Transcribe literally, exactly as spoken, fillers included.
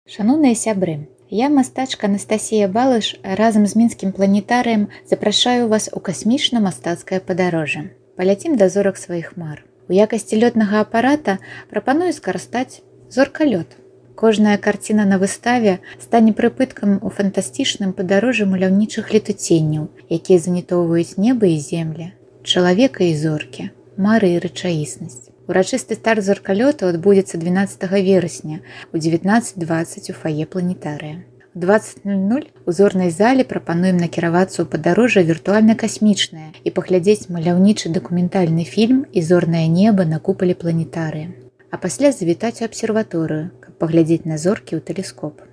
Шаноўныя сябры, я мастачка Анастасія Балыш разам з мінскім планетарыем запрашаю вас у касмічна-мастацкае падарожжа. Паляцім да зорак сваіх мар. У якасці лётнага апарата прапаную скарыстаць зоркалёт. Кожная карціна на выставе стане прыпыткам у фантастычным падарожжы маляўнічых летуценняў, якія занітоўваюць неба і земля, чалавека і зоркі, мары і рэчаіснасць. Урачысты старт зоркалёту адбудзецца дванаццатага верасня у дзевятнаццаць дваццаць у фае планетарыя. У дваццаць нуль нуль у зорнай зале прапануем накіравацца ў падарожжа віртуальна-касмічнае і паглядзець маляўнічы дакументальны фільм і зорнае неба на купале планетарыя. А пасля завітаць у абсерваторыю, каб паглядзець на зоркі ў тэлескоп.